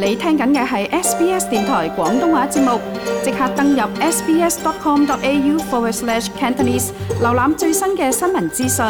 你聽緊嘅係 SBS 電台廣東話節目，即刻登入 sbs.com.au/Cantonese 瀏覽最新嘅新聞資訊。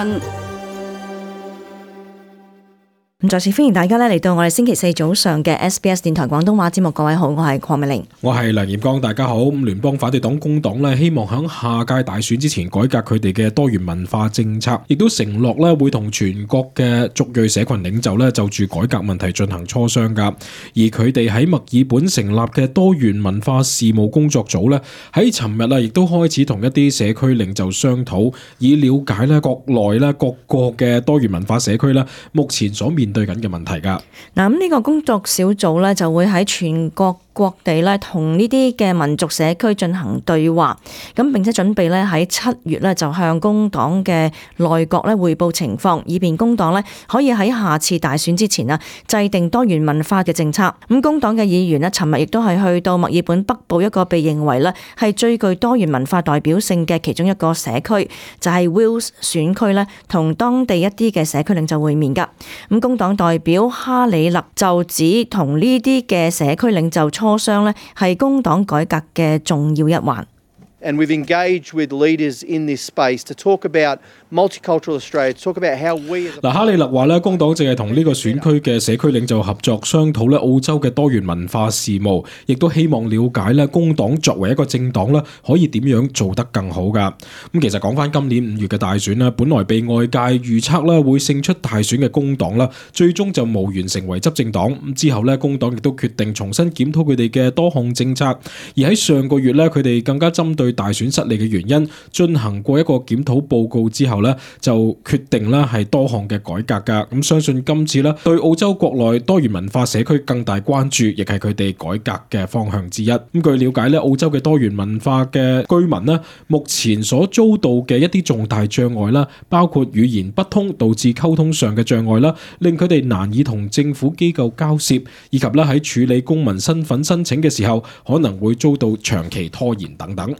咁再次歡迎大家嚟到我哋星期四早上嘅 SBS 電台廣東話節目。各位好，我係鄺美玲，我係梁炎光，大家好。聯邦反對黨工黨咧，希望喺下屆大選之前改革佢哋嘅多元文化政策，亦都承諾咧會同全國嘅族裔社群領袖咧就住改革問題進行磋商噶。而佢哋喺墨爾本成立嘅多元文化事務工作組咧，喺尋日亦都開始同一啲社區領袖商討，以了解咧國內咧各個嘅多元文化社區咧目前所面對緊嘅問題噶。嗱，咁呢個工作小組咧就會喺全國各地咧同呢啲嘅民族社區進行對話，咁並且準備咧喺7月咧就向工黨嘅內閣咧匯報情況，以便工黨咧可以喺下次大選之前制定多元文化嘅政策。咁工黨嘅議員咧尋日亦都係去到墨爾本北部一個被認為咧係最具多元文化代表性嘅其中一個社區，就係 Wills 選區咧，同當地一啲嘅社區領袖會面噶。咁工黨代表哈里勒就指同呢啲嘅社區領袖磋商咧係工黨改革嘅重要一環。And we've engaged with leaders in this space to talk about multicultural Australia, to talk about how we as a... 哈里勒話咧，工黨正係同呢個選區嘅社區領袖合作商討咧澳洲嘅多元文化事務，亦都希望了解咧工黨作為一個政黨咧可以點樣做得更好噶。咁其實講翻今年5月嘅大選咧，本來被外界預測咧會勝出大選嘅工黨啦，最終就無緣成為執政黨。咁之後咧，工黨亦都決定重新檢討佢哋嘅多項政策，而喺上個月咧，佢哋更加針對大選失利嘅原因進行過一個檢討報告之後呢，就決定咧係多項嘅改革噶。咁相信今次咧對澳洲國內多元文化社區更大關注，亦係佢哋改革嘅方向之一。咁據了解咧，澳洲嘅多元文化嘅居民咧，目前所遭到嘅一啲重大障礙啦，包括語言不通導致溝通上嘅障礙啦，令佢哋難以同政府機構交涉，以及咧喺處理公民身份申請嘅時候可能會遭到長期拖延等等。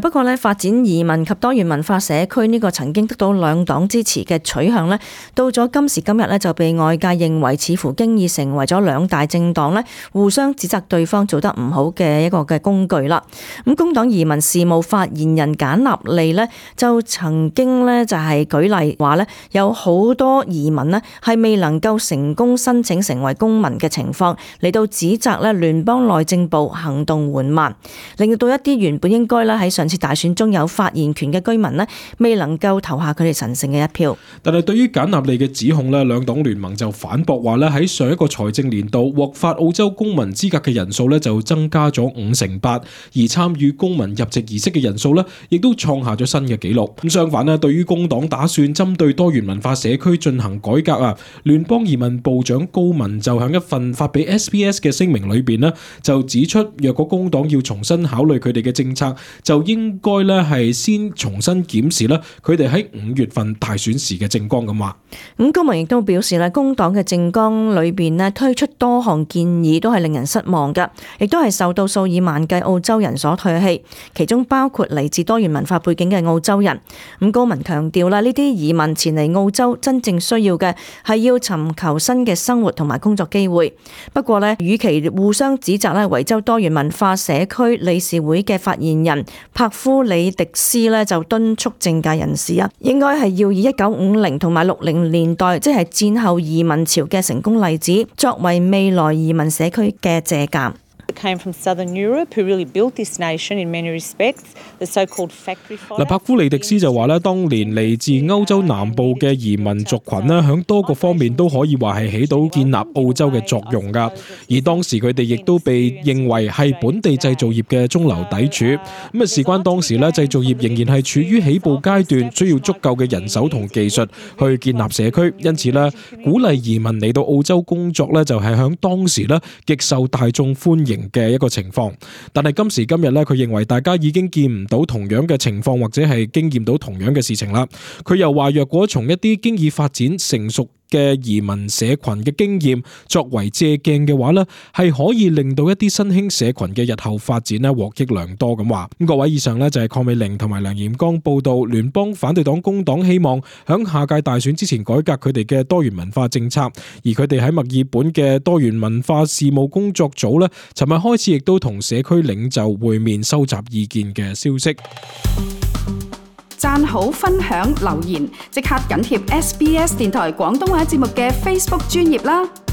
不過咧，發展移民及多元文化社區呢個曾經得到兩黨支持嘅取向呢，到咗今時今日呢，就被外界認為似乎經已成為咗兩大政黨呢互相指責對方做得唔好嘅一個嘅工具啦。咁工黨移民事務發言人簡納利呢，就曾經呢就係舉例話呢，有好多移民呢係未能夠成功申請成為公民嘅情況，嚟到指責呢聯邦內政部行動緩慢，令到一啲原本應該呢喺上次大選中有發言權嘅居民呢，未能夠投下佢哋神聖嘅一票。但係對於簡納利嘅指控呢，兩黨聯盟就反駁話呢，喺上一個財政年度獲發澳洲公民資格嘅人數呢就增加咗58%，而參與公民入籍儀式嘅人數呢亦都創下咗新嘅紀錄。咁相反呢，對於工黨打算針對多元文化社區進行改革聯邦移民部長高文就喺一份發俾 SBS 嘅聲明裏邊呢，就指出，若果工黨要重新考慮佢哋嘅政策，就應該咧係先重新檢視咧佢哋喺5月份大選時嘅政綱咁話。咁高文亦都表示咧，工黨嘅政綱裏邊咧推出多項建議都係令人失望嘅，亦都係受到數以萬計澳洲人所唾棄，其中包括嚟自多元文化背景嘅澳洲人。咁高文強調啦，呢啲移民前嚟澳洲真正需要嘅係要尋求新嘅生活同埋工作機會。不過咧，與其互相指責咧，維州多元文化社區理事會嘅發言人柏夫里迪斯咧就敦促政界人士應該係要以1950同埋60年代，即係戰後移民潮嘅成功例子，作為未來移民社區嘅借鑑。came from Southern Europe, who really built this nation in many respects. The so-called factory fire. 柏夫利迪斯就話咧，當年嚟自歐洲南部嘅移民族群咧，響多個方面都可以話係起到建立澳洲嘅作用噶。而當時佢哋亦都被認為係本地製造業嘅中流砥柱。咁啊，事關當時咧，製造業仍然係處於起步階段，需要足夠嘅人手同技術去建立社區。因此咧，鼓勵移民嚟到澳洲工作咧，就係響當時咧極受大眾歡迎嘅一個情況。但係今時今日咧，佢認為大家已經見唔到同樣嘅情況，或者係經驗到同樣嘅事情啦。佢又話，若果從一啲經已發展成熟嘅移民社群嘅經驗作為借鏡嘅話呢，係可以令到一啲新興社群嘅日後發展呢獲益良多咁話。咁各位，以上呢就係鄺美玲同埋梁炎光報道，聯邦反對黨工黨希望響下屆大選之前改革佢哋嘅多元文化政策，而佢哋喺墨爾本嘅多元文化事務工作組呢，尋日開始亦都同社區領袖會面收集意見嘅消息。讚好、分享、留言，即刻緊貼SBS 電台廣東話節目嘅 Facebook 專頁啦！